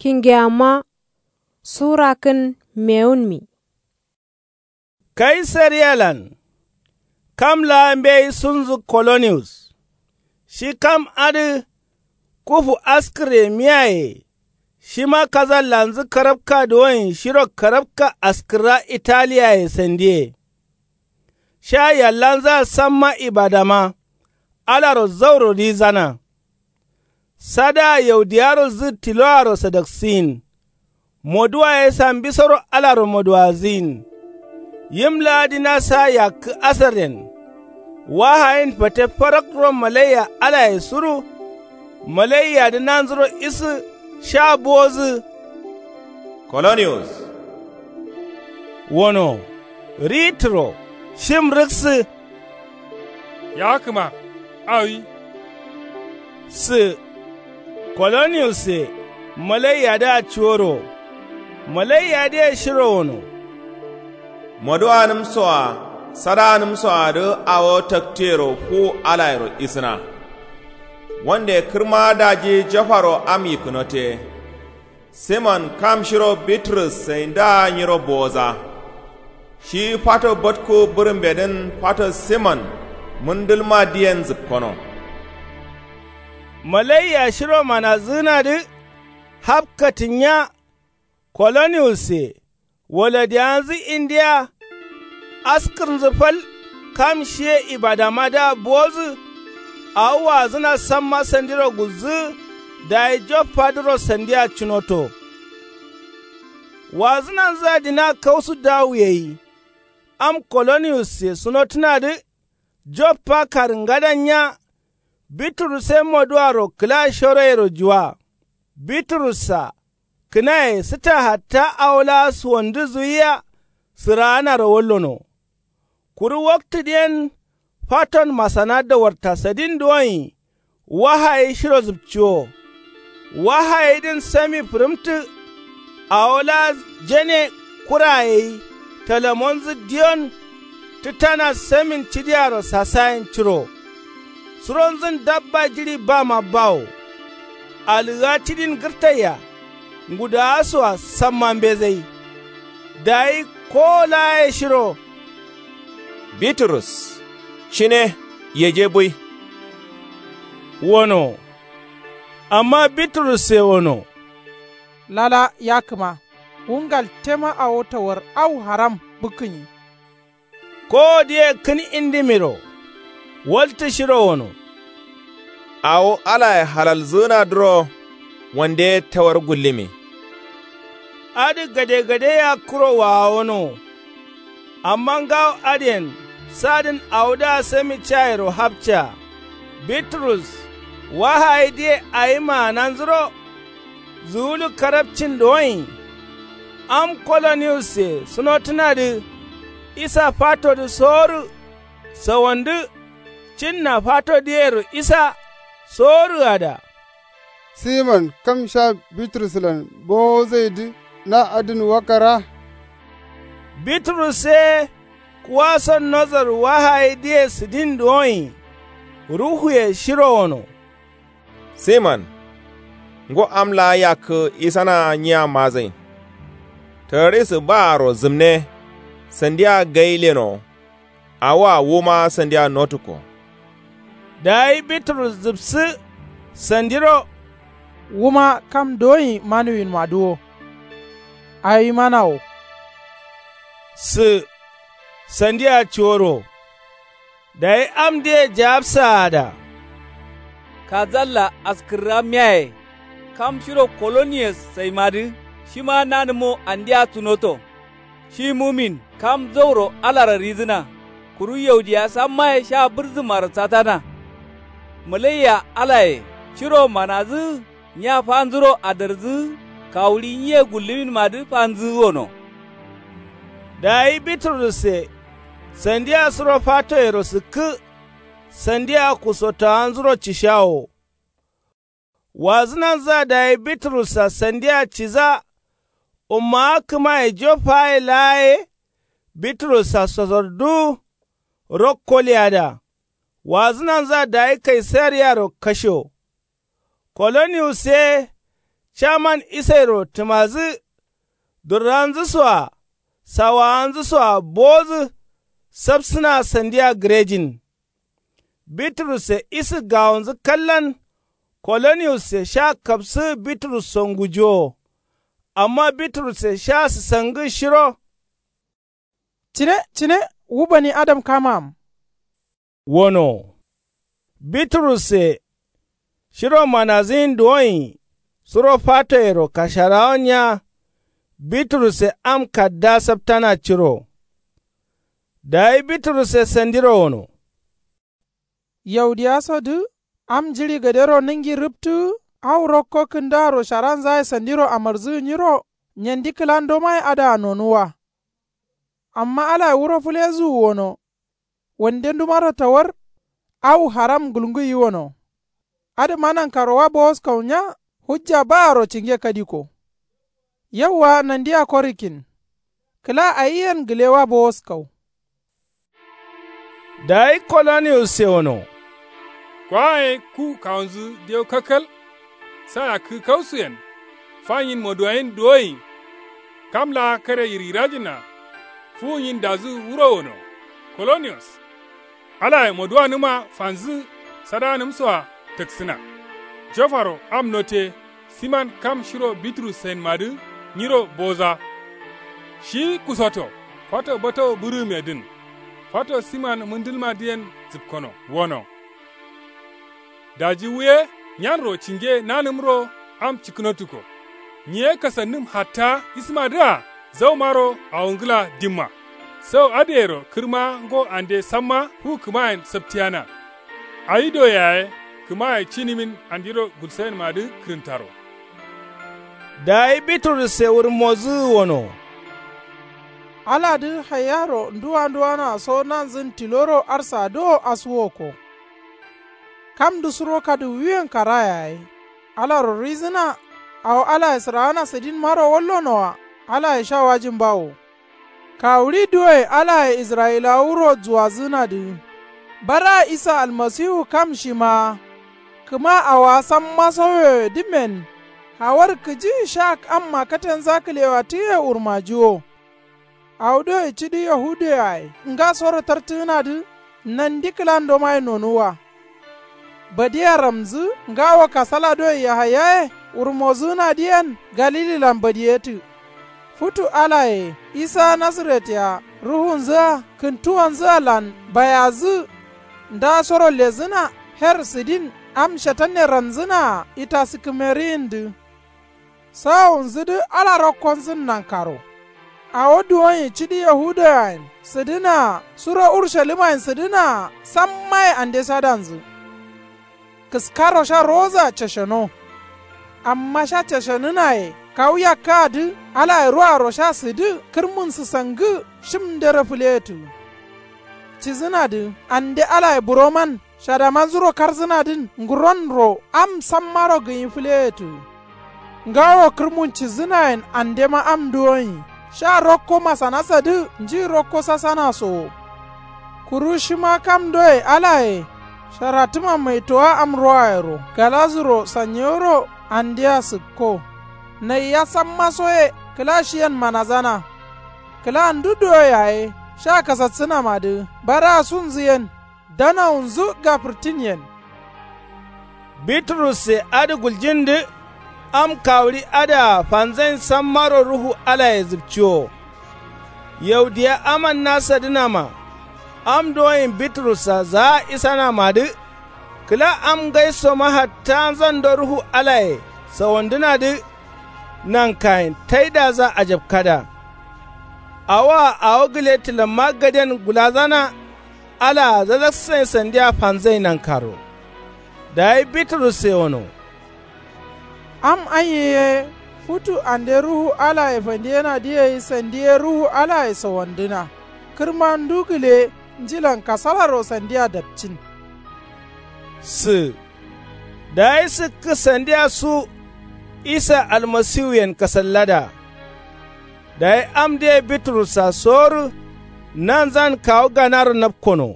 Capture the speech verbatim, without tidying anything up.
Kingeyamma su rakkǝn mewunmi. Kaisariyalan kam laa mbeyi sunzǝ koloniyus. Shi kam adǝ kufu askǝre miyaye. Shima kazallanzǝ karabka duwoyen shiro karabka askǝrra italiyaye sandiye. Sha yallanzǝa samma ibadama alaro zauro rizana. Sadaa yaudiyaro zǝ tiloaro sadaksin. Moduwa ye sambisoro alaro moduwazǝyin. Yim laa dina sa yakkǝ asarren. Wahayin fate farakro malaiya alaye suru. Malaiyadǝ nanzuro isǝ sha bowozǝ. Koloniyus wono. Ritǝro shim rǝksǝ. Yakǝma awi. Sǝ koloniyusse malaiyadǝa cuworo. Malaiyadǝye shiro wono. Moduwanǝmsoa sadawanǝmsoadǝ awo taktiyero fuwu alayero isǝna. Wande kǝrma daji jofaro am yikkǝnote. Simon kam shiro bitrus saindaa nyiro bowoza. Shi fato botku bǝrǝmbedǝn fato simon mǝndǝlma diyen zǝpkono. Malaiya shiro manazǝgǝnadǝ hapkatǝnya. Koloniyusse waladiyanzǝ indiya. Askǝrnzǝ fal kam shiye ibadamadǝa bowozǝ. Awo wazǝna samma sandiro gulzǝ. Dayi jofpadǝro sandia cunoto. Wazǝnanzǝa dina kausu dawu yeyi. Am koloniyusse sunotǝnadǝ joffa karǝngadannya. Bitrus ye moduwaro kǝla shoroyero juwa. Bitrus-a kǝnaye sǝta hatta awo laa suwandǝ zuwiya. Sǝraanaro wallono. Kuru waktǝdǝyen faton masana dawarta sadin duwonyi. Wahayi shiro zǝpciwo. Wahayidǝn sami fǝrǝmtǝ. Awo laa jene kurayeyi talamonzǝ diyon. Tǝtana samin cidiaro sasayen curo. Suronzǝn dabba jiɍi bama bawo. Alǝgǝa cidin gǝrtaiya. Ngudaasoa samma mbezai. Dayi kowo laaye shiro. Bitrus cine yeje bui. Wono. Amma bitrusse wono. Lala yakǝma. Wu ngaltema awo tawar au haram bǝkkǝnyi. Kowodǝye kǝn indimiro. Waltǝ shiro wono. Awo alaye halalzǝgǝnadǝro wande tawar gullǝmi. Adǝ gade gade yakkuro waawono. Amma ngawo adǝyen sadǝn awodǝa sami cayero hapca. Bitrus wahayidǝye awi maananzuro. Zuwulu karabcin doyin. Am koloniyusse sunotǝnadǝ isa fatodǝ soworǝ. Sawandǝ cinna fatodǝyero isa soworǝada. Simon kam sha bitruslan bowozaidǝ na adǝn wakara. Bitrus ye kuwason nozor wahayidǝye sǝdin duwonyi. Ruhuye shiro wono. Simon ngo am laa yakkǝ isana nyiya mazain. Tararisǝ baaro zǝmne. Sandiya gai leno. Awoa wuma sandiya notukko. Dayi bitrus zǝpsǝ sandiro. Wuma kam doyin manuwinmadǝ wo. Awi mana wo. Sǝ sandiya cuworo. Dayi amdǝye jawabsaada. Kazalla askǝrrammiyaye. Kam shiro koloniyes saimadǝ shima nanǝmo andia sunoto. Shi mumin kam zauro alara ridǝna. Kuru yaudiya sammaye sha bǝrzǝmaro satana. Malaiya alaye shiro manadǝ nya fanzuro adarzǝ. Kawuɍi nyiye gullǝminmadǝ fanzǝ wono. Dayi bitrusse sandia suro fatoyero sǝkkǝ. Sandia kusotawanzuro cishawo. Wazǝnanzǝa dayi bitrussa sandia ciza. Ummawa kǝmaye joffaye laa ye. Bitrussa sosor duwu. Rokko leyada. Wazǝnanzǝa dayi kaisariyaro kasho. Koloniyus ye Caman isairo tǝmadǝ durranzǝ soa sawawanzǝ soa bowodǝ. Sapsǝna sandiya gǝrejin. Bitrusse isǝ gawonzǝ kallan. Koloniyusse sha kapsǝ bitrusso ngujuwo. Amma bitrusse sha sǝsangǝ shiro. Cine cine, wu bani adam kamam. Wono. Bitrusse shiro manazǝyin duwonyi suro fatoyero kasharawan ya. Bitrusse am kadda saptana ciro. Dayi bitrusse sandiro wono. Yaudiya sodǝ am jiɍi gadero nǝngi rǝptǝ. Au rokko kǝndaro sharanzaye sandiro amarzǝgǝ nyiro. Nyandi kǝlandomaye adǝa nonuwa. Amma alaye wuro fǝlezǝ wono. Wande ndumaro tawar. Au haram gulngǝ yiwono. Adǝma nankaro wa bowoskau nya. Hujja baaro cinge kadiko. Yauwa nandiya korikin. Kǝla ayiyen gǝle wa bowoskau. Dayi koloniyusse wono. Kwaye ku kawunzǝ dewu kalkal. Sa yakkǝ kausuyen. Fanyin moduwayin duwoyin. Kam laa kare yirgirajinna. Fuwunyin dazǝ wuro wono. Koloniyus. Alaye moduwanǝma fanzǝ. Sadanǝmsoa tǝksǝna. Jofaro am note. Siman kam shiro bitrussainmadǝ nyiro boza. Shi kusoto. Fato batowu bǝrǝgǝmedǝn. Fato siman mǝndǝlmadǝyen zǝpkono wono. Daji wuye nyanro cinge nanǝmro am cikkǝnotuko. Nyiye kasannǝm hatta ismadǝa zaumaro awongǝla dimma. Sau adǝyero kǝrma ngo ande samma fu kǝmayen saptiyana. Awi do yaye kǝmaye cinǝmin andero gulsayenmadǝ kǝrǝntaro. Dayi biturusse wurmozǝgǝ wono. Aladǝ haiyaro nduwa nduwana so nanzǝn tiloro arsa dowo asuwoko. Kamdǝ suro kadǝwuyen kara yaye. Alaro ruizǝna. Awo alaye sǝraana sǝdinmaro wallonoa. Alaye sha wajin bawo. Kawuɍi duwoye alaye israyilawa wuro juwazǝnadǝ. Bara isa almasiwu kam shimaa. Kǝma awowa samma sauyoyedǝmen. Hawar kǝji sha amma katenza kǝlewatǝye wurmajiwo. Awo doye cidi yahudiyaye ngasoro tartǝgǝnadǝ. Nandi kǝlandomaye nonuwwa. Badiya ramzǝ ngawo kasala doye yahayaye wurmozǝgǝnadǝyen galililan badiyetǝ. Futu alaye isa nasaret-a ruhunzǝa kǝntuwanzǝalan bayazǝ. Ndasoro lezǝna her sǝdin am shetanne ranzǝnaa itasikǝmeriyindǝ. Sawowunzǝdǝ ala rokkonzǝn nankaro. Awo duwonyi cidi yahudiyayen sǝdǝnaa suro urushalimmayen sǝdǝnaa sammaye ande shadanzǝ. Kǝskaro sha rowozǝa cesheno. Amma sha ceshenǝnaye kawu yakkǝadǝ alaye ruaro sha sǝdǝ kǝrmun sǝsangǝ. Shim ndero fǝleyetǝ. Cizǝnadǝ ande alaye buroman shadamanzuro karzǝnadǝn nguronro am sammaro gǝnyi fǝleyetǝ. Ngawo kǝrmun cizǝnayen andema am duwonyi sha rokko masanasadǝ nji rokko sasanasowo. Kuru shima kam doye alaye sharatǝma maitowa am rowayero galazuro sanyewuro andea sǝkko. Naiya sammaso ye kǝla shiyen manazana. Kǝla ndu duwo yaye sha kasatsǝnamadǝ baraa sunzǝyen. Danawunzu gafǝrtinyen. Biturusse adǝ guljindǝ am kawuɍi adǝa fanzain sammaro ruhu alaye zǝpciwo. Yaudiya aman nasadǝnama am duwoyin biturussa zaa isanamadǝ. Kǝla am ngaisoma hatta nzando ruhu alaye sawandǝnadǝ. Nankayin taidaza ajapkada. Awoa awo gǝle tǝlamma gaden gulazana. Alaa zazaksǝnai sandia fanzai nankaro. Dayi biturusse wono. Am anye ye futu ande ruhu alaye fandiyenadǝ ye sandi ye ruhu alaye sawandǝna. Kǝrma ndu gǝle njilan kasalaro sandia dapcin. Sǝ. Dayi sǝkkǝ sandia su isa almasiwuyen kasallada. Dayi amdǝye biturussa sorǝ nanzan kawu ganaro napkono.